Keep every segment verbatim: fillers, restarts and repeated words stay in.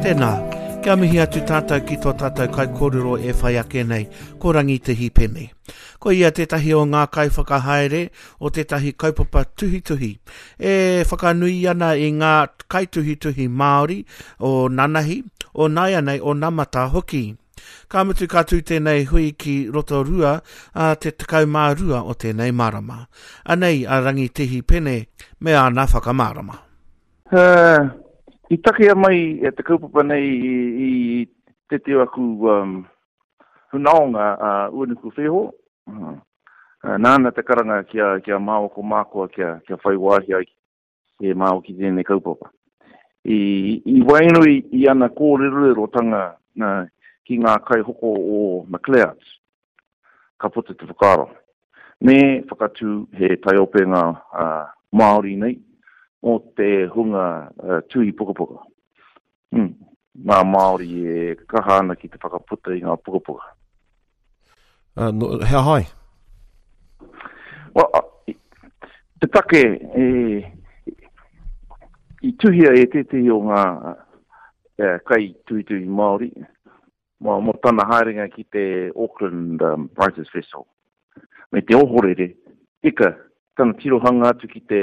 Tēnā, kia mihi atu tātou ki tō tātou kaikōrero e whai ake nei, ko Rangitihi Pene. Ko ia tētahi o ngā kaiwhakahaere o tētahi kaupapa tuhituhi e whakanui ana i ngā kaituhituhi Māori o nanahi, o nāianei, o namata hoki. Ka mutu ka tū tēnei hui ki Rotorua a te tekau mā rua o tēnei marama. Anei a Rangitihi Pene me āna whakamārama. Uh, i takea mai e te kaupapa nei i, i te te aku um, hunaonga a uh, Uenuku Wheho. Uh, nāna te karanga kia, kia māua ko mākoa kia, kia whai wāhi ai e māua ki tēnei kaupapa. I, i waenganui i ana kōrerorerotanga uh, ki ngā kaihoko o McLeod's, ka puta te whakaaro. Me whakatū he taiopenga uh, Māori nei o te hunga uh, tuhi pukapuka. Hmm. Ngā Māori e kaha ana ki te whakaputa i ngā pukapuka. Uh, no, he ahai? Well, uh, te take e, i tuhia e tētehi o ngā uh, kai tuhituhi Māori mō, mō tana haerenga ki te Auckland um, Writers Festival. Me te ohorere, ika, tana tirohanga atu ki te,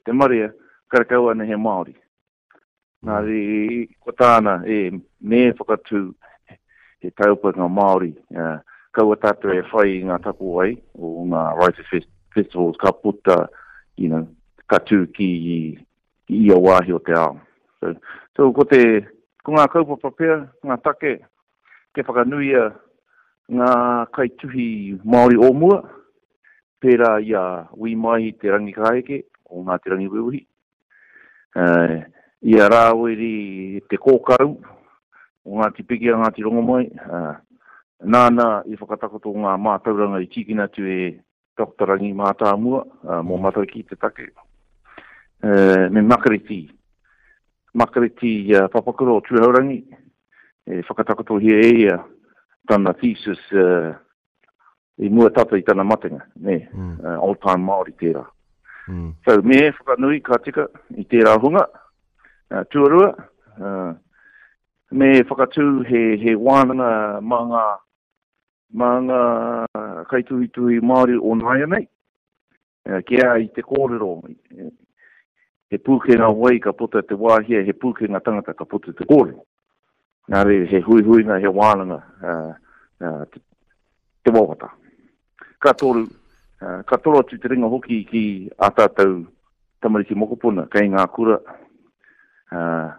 te marea, karekau ana he Māori. Nā re, ko tāna, e, me whakatū he taupanga Māori, uh, kaua tātou e whai i ngā tapuwae o ngā Writers Fest Festivals ka puta, you know, ka tū ki, ki ia wāhi o te ao. So, so ko te, ko ngā kaupapa pea, ngā take, te whakanuia ngā kaituhi Māori o mua, pērā i a Wi Maihi Te Rangikāheke o Ngāti Rangiwewehi, uh, i a Rāwiri Te Kōkau o Ngāti Pikiao, Ngāti Rongomai, uh, nāna i whakatakoto ngā mātauranga i tīkina atu e Doctor Rangi Mātāmua, uh, mō Matariki te take, uh, me Makareti, Makareti uh, Papakura o Tūhourangi, e whakatakotohia e ia tana thesis uh, i mua tata i tana matenga, ne, mm. uh, old time Māori tērā. Mm. So, me whakanui ka tika i tērā hunga, uh, tuarua, uh, me whakatū he, he wānanga mā ngā, mā ngā kaituhituhi Māori o nāianei, uh, kia i te kōrero, he pūkenga wai ka puta te wāhia, he pūkenga tangata ka puta te kōrero. Nā reira, he huihuinga, he wānanga, uh, uh, te, te wawata. Ka toru, uh, ka toro atu te ringa hoki ki ā tātou tamariki mokopuna, kei ngā kura, uh,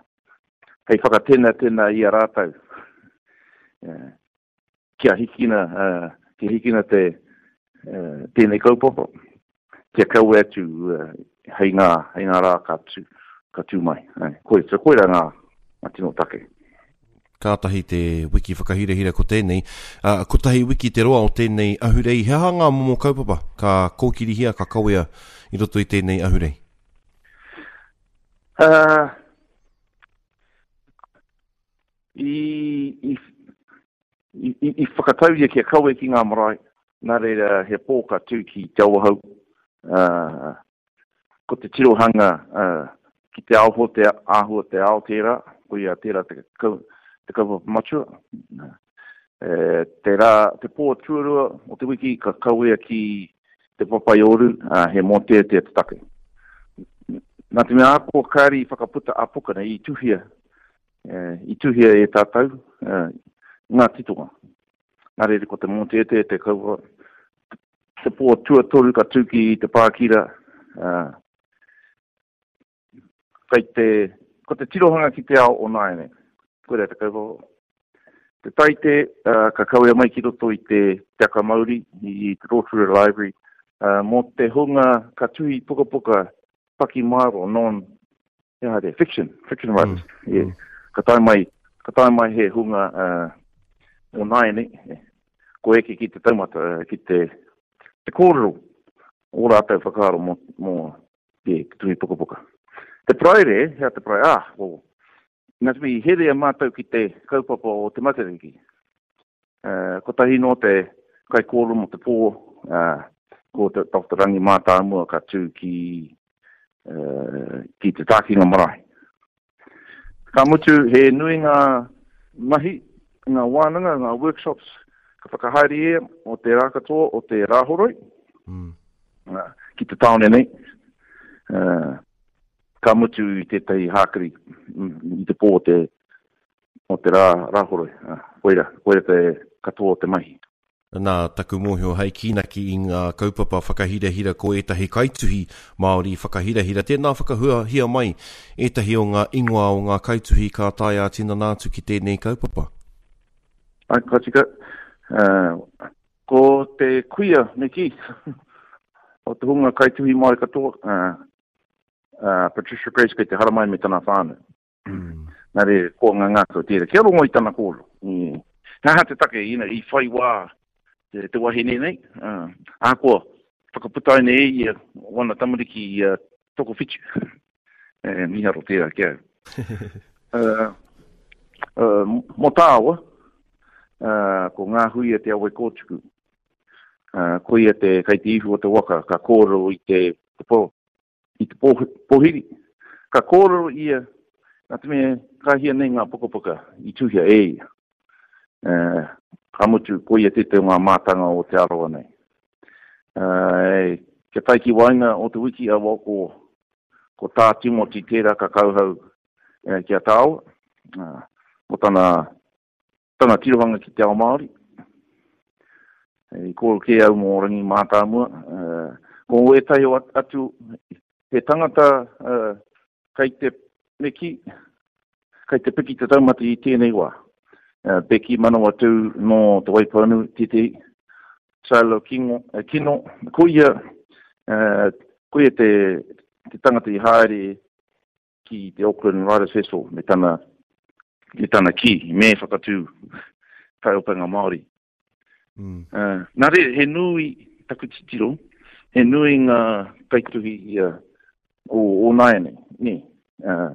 hei whakatenatena i a rātou. Uh, kia hikina, uh, kia hikina te, uh, tēnei kaupapa, kia kawe atu uh, hei ngā, hei ngā rā ka tū, ka tū mai. Uh, koi, so koira ngā, ngā tino take. Kātahi te wiki whakahirahira ko tēnei. Uh, kotahi wiki te roa o tēnei ahurei. He aha ngā momo kaupapa ka kōkirihia, ka kawea i roto i tēnei ahurei? Uh, i, i, i, i whakatauria kia kawe ki ngā marae. Nā reira he pō ka tū ki Te Awahou. Uh, ko te tirohanga uh, ki te ao te āhua te ao tērā, ko ia tērā te, te kaupapa matua. E, te, rā, te pō tuarua o te wiki ka kawea ki te Papaiouru, uh, he mōteatea te take. Nā te mea ako kāri whakaputa a puka nei, i tuhia, e, i tuhia e tātou e, ngā titonga. Nā reira ko te mōteatea te kaupapa, te pō tuatoru ka tū ki te Pākira, uh, kei te, ko te tirohanga ki te ao o nāianei. Koira te kaupapa. Te taite, uh, ka kawea mai ki roto i te Te Aka Mauri, i te Rotorua Library, uh, mō te hunga ka tuhi pukapuka pakimaero, non, he aha te, fiction, fiction writers. Mm. Yeah. Ka tae mai, ka tae mai he hunga uh, o nāianei, ko eke ki te taumata, uh, ki te, te kōrero o rātou whakaaro mō, mō te tuhi pukapuka. Te Paraire, hea te Paraire, ah, well, nā te mea i herea mātou ki te kaupapa o te Matariki. Uh, kotahi nō te kaikōrero mō te pō, uh, ko te Doctor Rangi Mātāmua ka tū ki uh, ki te tākinga marae. Ka mutu, he nui ngā mahi, ngā wānanga, ngā workshops, ka whakahaere ia o te rā katoa, o te rāhoroi, mm. uh, ki te tāone nei. Uh, ka mutu i tētahi hākari i te pō o te, o te rā, rāhoroi. Uh, koira, koira te katoa o te mahi. Nā, taku mōhio hei kīnaki i ngā kaupapa whakahirahira ko ētahi kaituhi Māori whakahirahira. Tēnā whakahuahia mai ētahi o ngā ingoa o ngā kaituhi ka tae ā-tinana atu ki tēnei kaupapa. Ai, ka tika. Uh, ko te kuia, me kī, o te hunga kaituhi Māori katoa, uh, uh, Patricia Grace kei te haramai me tana whānau. Mm. Nā re, ko ngā ngākau tērā. Kia rongo i tana kōrero. Mm. He aha te take, you know, i whai wā te, te wahine nei. Uh, ahakoa, whakaputaina e ia wana tamariki i uh, tokowhitu. E, miharo tērā ki au. uh, uh, mō tāua, uh, ko ngā huia te awe kōtuku. Uh, ko ia te kai te ihu o te waka, ka kōrero i te, te po, i te po, pohiri. Ka kōrero ia, nā te mea, ka hia nei ngā pukapuka i tuhia e ia. Uh, ka mutu, ko ia tētahi o ngā mātanga o Te Arawa nei. Uh, kia tae ki waenga o te wiki awa ko, ko tā Timoti tērā ka kauhau eh, ki a tāua, uh, mo tana, tana tirohanga ki te ao Māori. I kōrero kē au mō Rangi Mātāmua. Uh, ko ētahi o atu, he tangata uh, kei te meki, kei te piki te taumata i tēnei wā. Uh, Becky Manawatu nō Te Waipounamu, tētehi, Silo Kingo, uh, Kino, ko ia, uh, ko ia te, te tangata i haere ki te Auckland Writers Festival me tana, me tana kī, me whakatū taiopenga Māori. Mm. Uh, nā reira, he nui taku titiro, he nui ngā kaituhi uh, o, o nāianei, nē. Uh,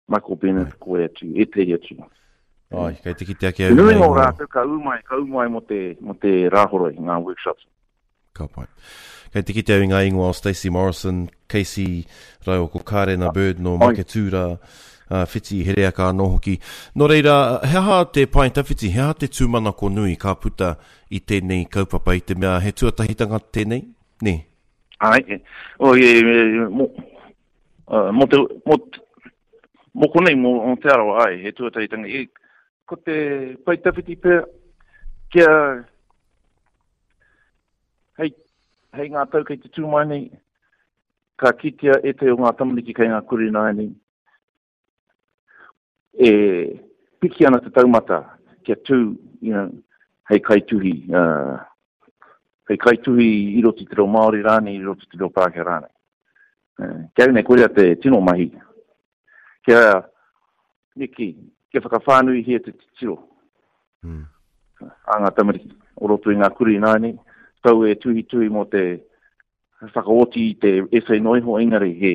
Michael Bennett, ko e atu, ētehi atu. Ai, kei te kite ake Te au nui nei ngā ngā- rātou ka ū mai, ka ū mai mō te, mō te rāhoroi, ngā workshops. Ka pai. Kei te kite au i ngā ingoa o Stacey Morrison, Casey rāua ko Karena Bird no Ai. Maketū uh, Whiti Hereaka anō hoki. Nō reira, he aha te pae tawhiti, he aha te tūmanako nui ka puta i tēnei kaupapa i te mea he tuatahitanga tēnei? Nē? Ai, e, o, e, e, mō, uh, mō te, mō, mō konei, mō, mō Te Arawa, ai, he tuatahitanga. E, ko te pae tawhiti pea, kia, hei, hei ngā tau kei te tū mai nei, ka kitea ētahi o ngā tamariki kei ngā kura ināianei, e piki ana te taumata kia tū, you know, hei kaituhi, uh, hei kaituhi i roto i te reo Māori rānei, i roto i te reo Pākehā rānei. Uh, kia au nei, koira te tino mahi. Kia, niki, kia whakawhānuihia te titiro Mm. a ngā tamariki o roto i ngā kura ināianei, tau e tuhituhi mō te whakaoti i te essay noa iho, engari he,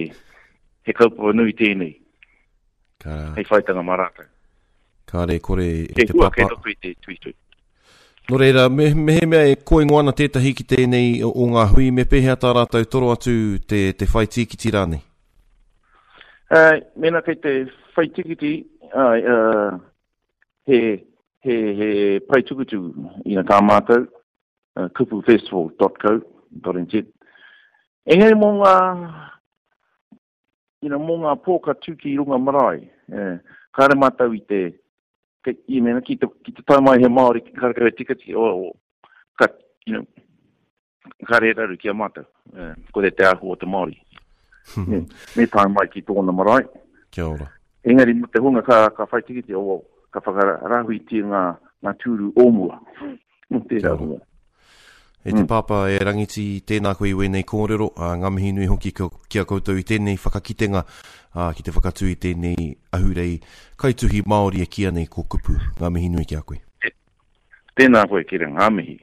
he kaupapa nui tēnei, Ka, hei whaitanga mā rātou. kāre kore e He te hua kei papa. roto i te tuhituhi. Nō reira, me, mehemea e koingo ana tētahi ki tēnei o, o ngā hui, me pēhea tā rātou toro atu te, te whai tīkiti rānei? Uh, mēnā kei te whai tikiti, uh, uh, he, he, he pae tukutuku i tā mātou, uh, kupu festival dot co dot n z. Engari mō ngā, you know, mō ngā pō ka tū ki runga marae, eh, kāre mātou i te, ke, i mena, ki te, ki te tae mai he Māori, ki karekau e tikati, o, o, ka, you know, kāre e raru ki a mātou. Eh, ko te te āhua o te Māori. Me, me tae mai ki tōna marae. Kia ora. Engari mō te hunga ka, ka whai tikiti, o, ka whakarahuitia ngā, ngā tūru o mua. Mō tērā Kia ora. hunga. E te pāpā e Rangiti, tēnā koe i wēnei kōrero, ā, ngā mihi nui hoki ki a koutou i tēnei whakakitenga, ā, ki te whakatū i tēnei ahurei kaituhi Māori e kīia nei ko Kupu. Ngā mihi nui ki a koe. Tēnā koe, Kere, ngā mihi.